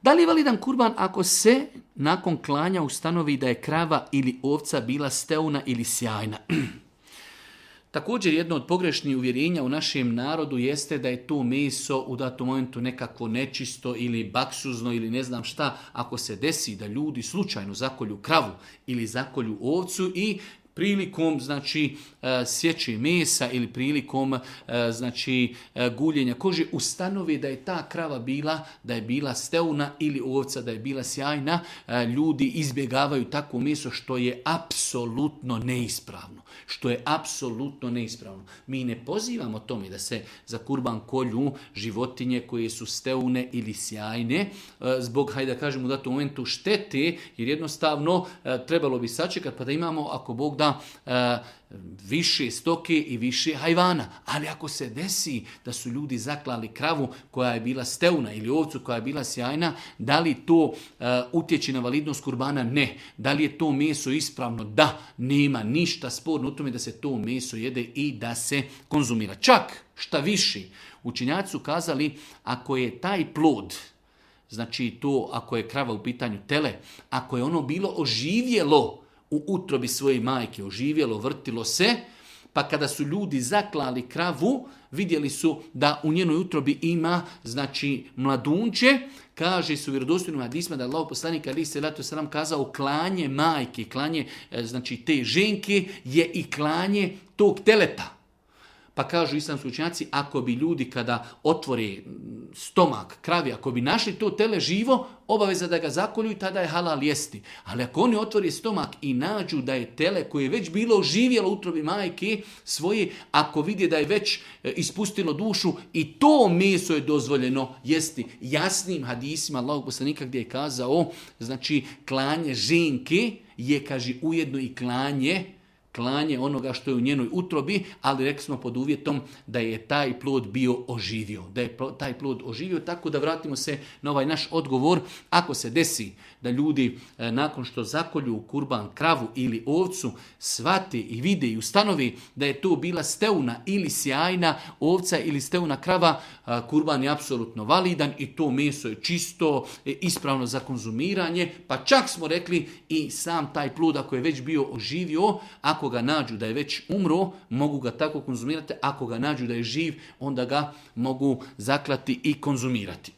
Da li je validan kurban ako se nakon klanja ustanovi da je krava ili ovca bila steuna ili sjajna? Također jedno od pogrešnih uvjerenja u našem narodu jeste da je to meso u datom momentu nekako nečisto ili baksuzno ili ne znam šta. Ako se desi da ljudi slučajno zakolju kravu ili zakolju ovcu i prilikom sječe mesa ili prilikom guljenja kože ustanovi da je ta krava bila steuna ili ovca da je bila sjajna, ljudi izbjegavaju takvo meso što je apsolutno neispravno. Mi ne pozivamo tome da se za kurban kolju životinje koje su steune ili sjajne zbog, hajde da kažemo u datom momentu štete, jer jednostavno trebalo bi sačekati pa da imamo, ako Bog da, više stoke i više hajvana. Ali ako se desi da su ljudi zaklali kravu koja je bila steuna ili ovcu koja je bila sjajna, da li to utječe na validnost kurbana? Ne. Da li je to meso ispravno? Da. Nema ništa sporno u tome da se to meso jede i da se konzumira. Čak, šta više, učenjaci su kazali, ako je taj plod, znači to ako je krava u pitanju tele, ako je ono bilo oživjelo u utrobi svoje majke, oživjelo, vrtilo se, pa kada su ljudi zaklali kravu, vidjeli su da u njenoj utrobi ima, mladunče, kaže su u vjerodostojnim hadisima da je Allahov poslanik alejhi selatu vesselam kazao klanje majke, klanje te ženke je i klanje tog teleta. Pa kažu islamski učenjaci, ako bi ljudi kada otvore stomak kravi, ako bi našli to tele živo, obaveza da ga zakolju i tada je halal jesti. Ali ako oni otvore stomak i nađu da je tele koje je već bilo živjelo u utrobi majke svoje, ako vide da je već ispustilo dušu, i to meso je dozvoljeno jesti. Jasnim hadisima Allahog poslanika gdje je kazao, klanje ženke je, kaže, ujedno i klanje onoga što je u njenoj utrobi, ali rekli smo pod uvjetom da je taj plod bio oživio. Tako da vratimo se na ovaj naš odgovor. Ako se desi da ljudi nakon što zakolju kurban kravu ili ovcu shvate i vide i ustanovi da je to bila steuna ili sjajna ovca ili steuna krava, kurban je apsolutno validan i to meso je čisto, ispravno za konzumiranje. Pa čak smo rekli i sam taj plod ako je već bio oživio, ako ga nađu da je već umro, mogu ga tako konzumirati. Ako ga nađu da je živ, onda ga mogu zaklati i konzumirati.